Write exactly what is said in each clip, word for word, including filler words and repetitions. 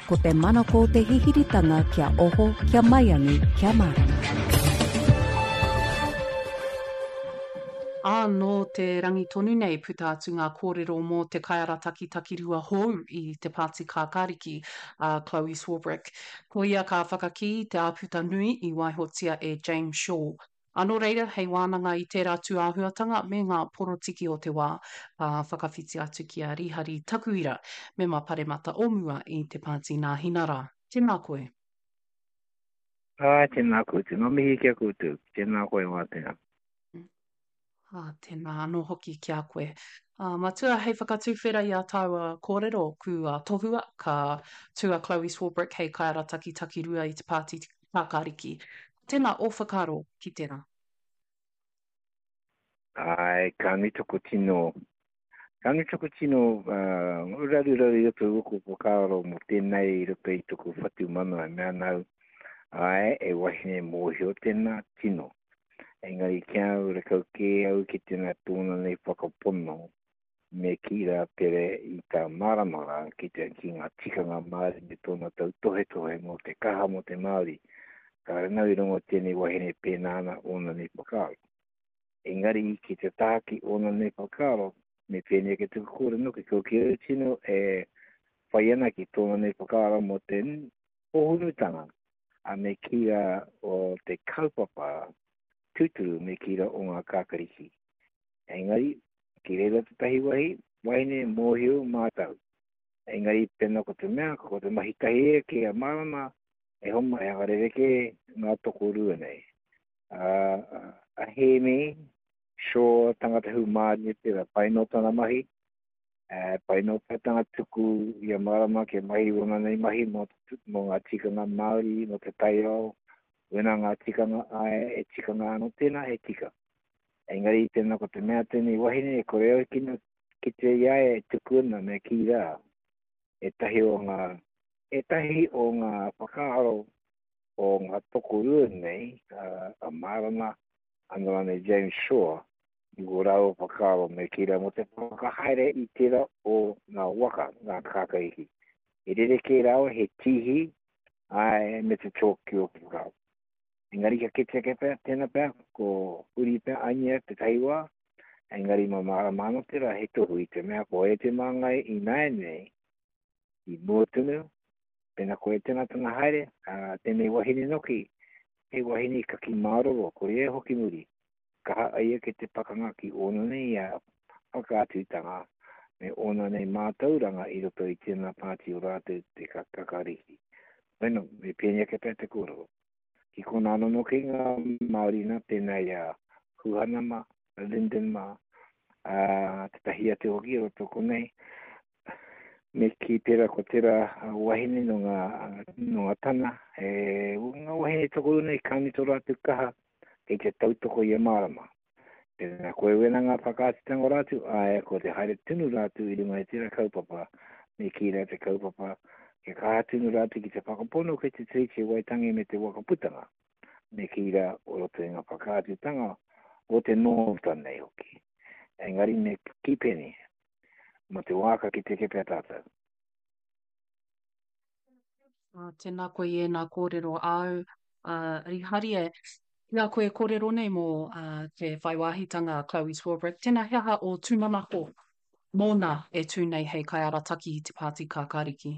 Ko te manako o te hihiritanga kia oho, kia maiangi, kia mārama. Ā, nō te rangi tonu nei puta atu ngā kōrero mō te kaiarataki takirua hou i te Pāti Kākāriki, a Chloe Swarbrick. Ko ia ka whakakī i te āputa nui i waihotia e James Shaw. Ā, nō reira, hei wānanga i tērā tūāhuatanga me ngā porotiki o te wā, ka whakawhiti atu ki a Rihari Takuira, mema paremata o mua i te Pāti Nāhinara. Tēnā koe. Āe, tēnā koutou. Ngā mihi ki a koutou. Tēnā koe, Wātea. Ā, tēnā anō hoki ki a koe. Ā, Matua, hei whakatuwhera i ā tāua kōrero, kua tohua, ka tū a Chloe Swarbrick hei kaiarataki takirua i te Pāti Kākāriki. Tēnā ō whakaaro ki tērā. Āe, ka nui taku tino, ka nui taku tino uh, raruraru i roto i ōku whakaaro mō tēnei i roto i taku whatumanawa e mea ana au, āe, e wahine mōhio tēnā, tino. Engari ki a au, rakau kē au ki tēnā tōna nei whakapono me kī rā pere i tā Marama rā ki te ki ngā tikanga Māori me tōna tautohetohe mō te kaha mō te Māori. Kāre nau i rongo tēnei wahine pēnā ana ōna nei whakaaro. Engari ki te taha ki ōna nei whakaaro, me pēnei ake tuku kōrero noki, ko ki au tino e whai ana ki tōna nei whakaaro mō te hōhonutanga a me kī rā o te kaupapa tūturu me kī rā o ngā kākariki. Engari, ki reira tētahi wahi, wahine mōhio mātau. Engari, pēnā ko te mea, ko te mahi tahi e ki a Marama, e homa e whakarerekē ngā tokorua nei. A, a Hēmi, Shaw, tangata hūmārie tērā, pai nō tana mahi, e, pai nō pea tana tuku i a Marama kia mahi ōna nei mahi mō, mō ngā tikanga Māori, mō te taiao, wena ngā tikanga āe, e tikanga anō tēnā, he tika. Engari tēnā ko te mea tēnei wahine e kore au kino kite i a ia e tuku ana me kī rā, ētahi o ngā, ētahi o ngā whakaaro o ngā tokorua nei, a, a Marama, anō rānei James Shaw, i wō rāua whakaaro me kī rā mō te whakahaere i tērā o ngā waka, ngā kākāriki. He rerekē rāua, he tīhi, āe, me te chalk ki ōku whakaaro. Engari ka kite ake pea, tēnā pea, ko huri pea Anya tētahi wā, engari mā Marama anō tērā he tohu i te mea ko e te māngai ināianei, i mua tonu, pēnā koe tēnā tana haere, ā, tēnei wahine noki, he wahine kaki māroro, ko ia e hoki muri, kaha ai ia ki te pakanga ki ōna nei whakaatutanga me ōna nei mātauranga i roto i tēnā pāti o rātou te Kakariki. Bueno, me pēnei ake pea te kōrero. Ki konā anō noki ngā Māori nā tēnā i a Huhana mā, Lyndon mā, ā, tētahi atu hoki i roto konei, me kī tērā ko tērā wahine nō ngā, nō ngā tana, e, ngā wahine tokorua nei ka nui tō rātou kaha kei te tautoko i a Marama. Tēnā koe wena ngā whakaatutanga o rātou, āe, ko te haere tonu rātou i runga i tērā kaupapa, me kī rā te kaupapa, kia kaha tonu rātou ki te whakapono ki te Tiriti o Waitangi me te Wakaputanga, me kī rā o roto i ngā whakaatutanga o te nōta nei hoki. Engari me kī pēnei, mō te wā ka kite kē pea tātou. Ā, tēnā koe i ēnā kōrero āu, ā, Riharie, i a koe e kōrero nei mō te whai wāhitanga a Chloe Swarbrick, tēnā he aha ō tūmanako mōna e tū nei hei kaiarataki i te Pāti Kākāriki?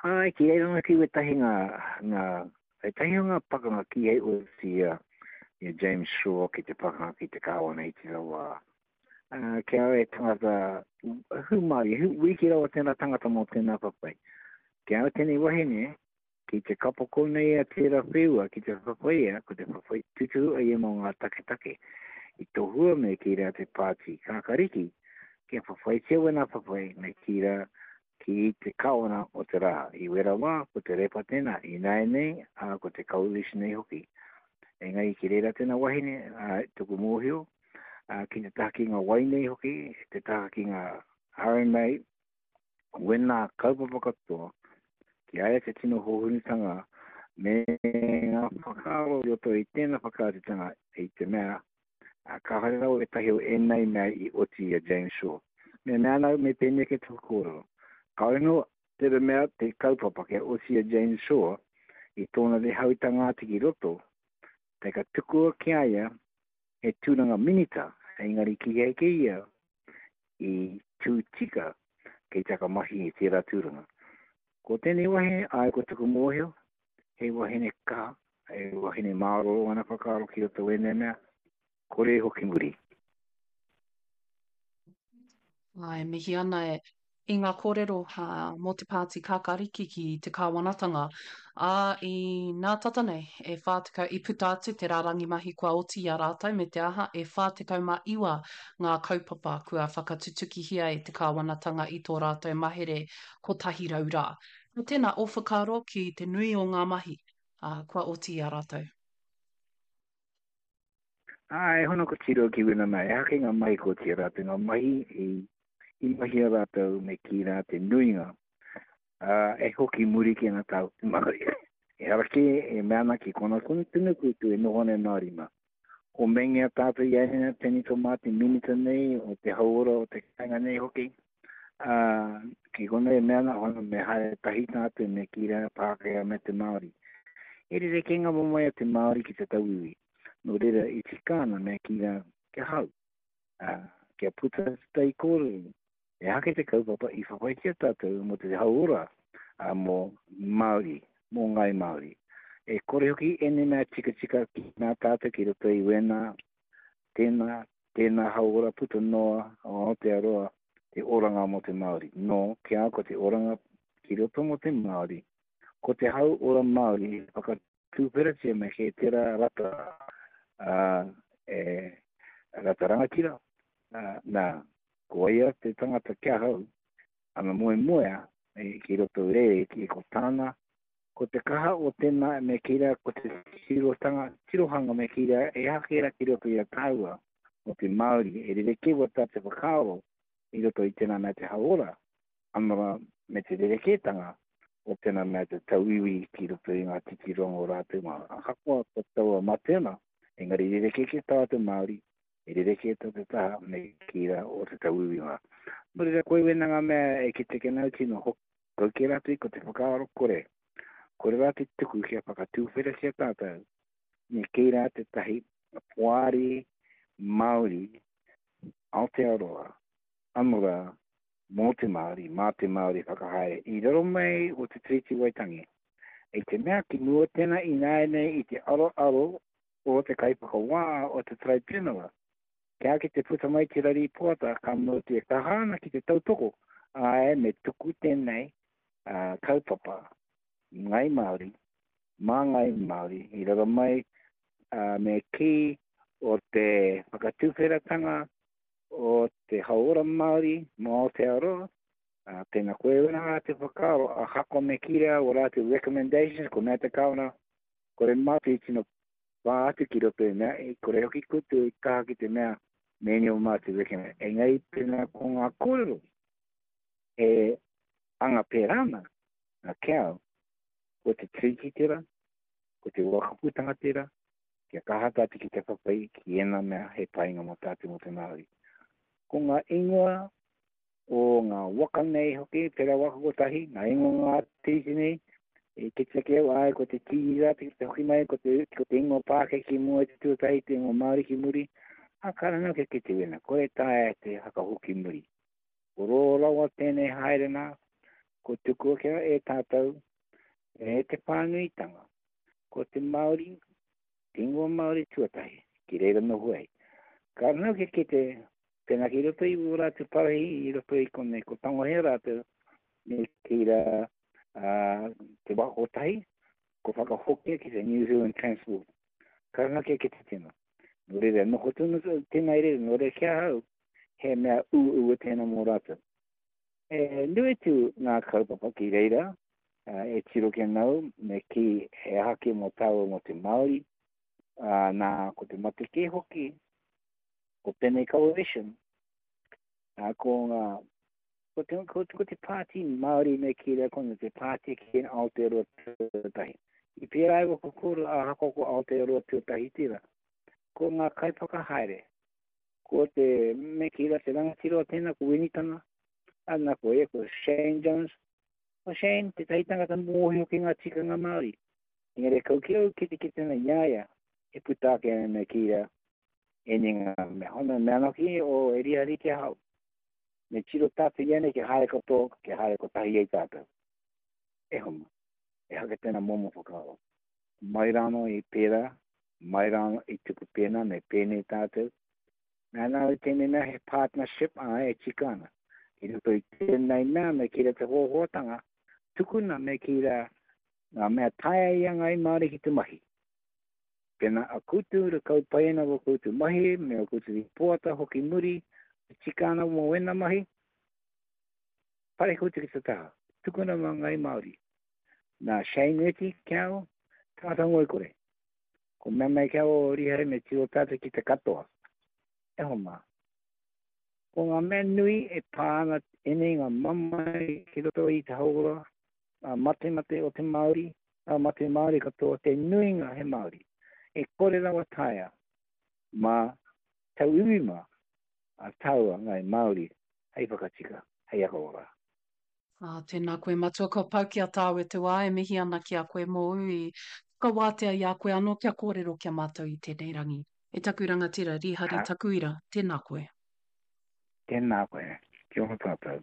Āe, ki reira hoki wētahi ngā, ngā, wētahi o ngā pakanga kīhai oti i a, i a James Shaw ki te pakanga ki te Kāwana i tērā wā. Ā, ki a au e tangata hūmārie, hū, wiki rawa tēnā tangata mō tēnā whawhai. Ki a au tēnei wahine, ki te kapoko nei a tērā wheua, ki te whawhai ia, ko te whawhai tūturu a ia mō ngā taketake. I tohua me kī rā te pāti kākariki, kia whawhaitia wēnā whawhai me kī rā ki te kawana o te rā. I wera wā, ko te repa tēnā, ināianei, ā, ko te coalition nei hoki. Engari ki reira tēnā wahine, ā, tuku mōhio, ā, ki te taha ki ngā wai nei hoki, te taha ki ngā R M A, wēnā kaupapa katoa, ki a ia te tino hōhonutanga me ngā whakaaro i roto i tēnā whakaatutanga i te mea Ā, kāhore rawa ētahi o ēnei mea i oti i a James Shaw. Me mea ana au, me pēnei ake taku kōrero. Ka ino te mea te kaupapa kia oti a Jane Shaw i tōna rehautanga atu ki roto, te ka tukua ki a ia he tūranga minita, engari ki hei ki ia i tū tika kei taka mahi i tērā tūranga. Ko tēnei wahine, ai ko tuku mōhio, he wahine kaha, he wahine māroro ana whakaaro ki roto wēnei mea, kore hoki muri. Ai, mihi ana e i ngā kōrero uh, mō te pāti kākāriki ki te kāwanatanga. Ā, i nā tata nei, e whā tekau, i puta atu te rārangi mahi kua oti i a rātou me te aha, e whā tekau mā iwa ngā kaupapa kua whakatutukihia e te kāwanatanga i tō rātou mahere kotahi rau rā. Ko tēnā o whakaaro ki te nui o ngā mahi uh, kua oti i a rātou. Ā, e hono ko tiro ki wena mai, e hake ngā mahi ko tia rātou, ngā mahi i, i mahi a rātou me ki rā te nuinga. Ā, e hoki muri ki ngā tau te Māori. E harake e mea ana ki kona kona tunu koutou e noho nei Māori mā. O mengea tātou i aina tēnei tō mātou minita nei, o te hauora o te kāinga nei hoki. Ā, ki kona e mea ana, hono me haere tahi tātou me ki rā Pākehā me te Māori. E rerekē ngā momoe a te Māori ki te tauiwi. Nō reira i tika ana me ki rā kia hau. Ā, kia puta te tai kōrero. E hake te kaupapa i whawhaitia tātou mō te hauora, ā, mō Māori, mō Ngāi Māori. E kore hoki ēnei mea tikatika ki nā tātou ki roto i wēnā, tēnā, tēnā hauora puta noa o Aotearoa te oranga mō te Māori. Nō, kia ko te oranga ki roto mō te Māori, ko te hauora Māori e whakatūwheratia me he tērā rata, ā, e rata rangatira, ā, nā, ko ia te tangata kia hau, ana moemoea e, ki roto reire ki ko tāna, ko te kaha o tēnā me kira, ko te tirotanga, tirohanga me kira, e hakera ki roto i a tāua o te Māori, e rerekē wa tā te whakaaro i roto i tēnā mea te hauora, anora me te rerekētanga o tēnā mea te tauiwi ki roto i ngā titironga o rātou mā. Ahakoa ko taua matena, engari rerekē ki tā te Māori, e rerekē tā te taha me kira o te tauiwi mā. Nō reira, koe wena ngā mea e ki te kenau tino hoki, kau ki rātou ko te whakaaro kore. Kore rā te tuku kia whakatūwheratia tātou, me kei rā te tahi poari Māori Aotearoa, anora mō te Māori, mā te Māori whakahaere i raro mai o te Tiriti Waitangi. E te mea ki mua tēnā ināianei i te aroaro o te kaiwhakawā o te Tribunal. Kia ki te puta mai te rari poata, ka mau te kaha ana ki te tautoko, āe me tuku tēnei uh, kaupapa Ngai Māori, mā Ngai Māori, i raro mai uh, me kī o te whakatūwheratanga o te hauora Māori mō Aotearoa, uh, tēnā koe wena rā te whakaaro, ahakoa me kī rā o rātou recommendations, ko mea te kāwana, kore mātou i tino pā atu ki roto i mea, e kore hoki koutou i kaha ki te mea meni o mātou recommend. Engari pēnā ko ngā kōrero e anga pērā ana, a kia au, ko te tiriti tērā, ko te wakaputanga tērā, kia kaha tātou ki te whawhai ki ēnā mea he painga mō tātou mō te Māori. Ko ngā ingoa o ngā waka nei hoki, tērā waka kotahi, ngā ingoa ngā tiriti nei, e kite ake au, ai, ko te tīri rā, te hoki mai, ko te, ko te ingoa Pākehā ki mua i te tuatahi, te ingoa Māori ki muri, a kāre anō kia kite wena, kore taea te whakahoki muri. Ko rō rawa tēnei haere nā, ko tukua kia e tātou, e te whānuitanga, ko te Māori, te ingoa Māori tuatahi, ki reira noho ai. Ka anō kia kite, pēnā ki roto i wō rātou parahi, i roto i konei, ko tangohea rātou, me ki rā, uh, te waka kotahi, ko whakahokia ki te New Zealand Transport. Ka anō kia kite tēnā. Nō reira, noho tonu tēnā i reira, nō reira ki ahau, he mea uaua tēnā mō rātou. E nui atu ngā kaupapa ki reira, uh, e tiro ki nau, me ki he aha ki mō tāua mō te Māori, uh, nā ko te mate kē hoki, ko tēnei coalition, uh, ko ngā, ko te, ko, ko te pāti Māori me ki rā kona te pāti ki Aotearoa tuatahi. I pērā i waka kōrero ahakoa ko Aotearoa tuatahi tērā. Ko ngā kaiwhakahaere, ko te me ki rā te rangatira o tēnā, ko Winitana, Ana ko ia ko Shane Jones. Ko Shane tētahi tangata mōhio ki ngā tikanga Māori. Engari kau ki au kitekite ana i a ia e puta ake ana me kī rā, ēnei ngā mea. Hona mea anō ki o e rihari ki ahau. Me tiro tātou ianei kia haere katoa, kia haere kotahi ai tātou. E homa, ehake tēnā momo whakaaro. Mai rānō i pērā, mai rānō i tuku pēnā, me pēnei tātou. Nā nā i tēnei mea he partnership, āe, e tika ana. I roto i tēnei mea me kī rā te hoahoatanga, tukuna me kī rā ngā mea taea i a Ngāi Māori ki te mahi. Pēnā a koutou re kau pai ana wō koutou mahi me ō koutou rīpoata hoki muri e tika ana mō ēnā mahi, pare koutou ki te taha, tukuna mā Ngāi Māori. Nā Shane Reti ki au, tangata ngoikore. Ko mea mai ki au o Rihari me tiro tātou ki te katoa. E hoa mā. Ko ngā mea nui e pā ana ēnei ngā mamae ki roto i te hauora, ngā matemate o te Māori, ngā mate Māori katoa, te nuinga he Māori. E kore rawa taea mā tauiwi mā a tāua Ngāi Māori hei whakatika, hei whakaora. Ā, tēnā koe Matua, kua pau ki a tāua te wā e mihi ana ki a koe mōu i whakawātea i a koe anō kia kōrero ki a mātou i tēnei rangi. E taku rangatira, Rīhari Takuira, tēnā koe. Tēnā koe, kia ora tātou.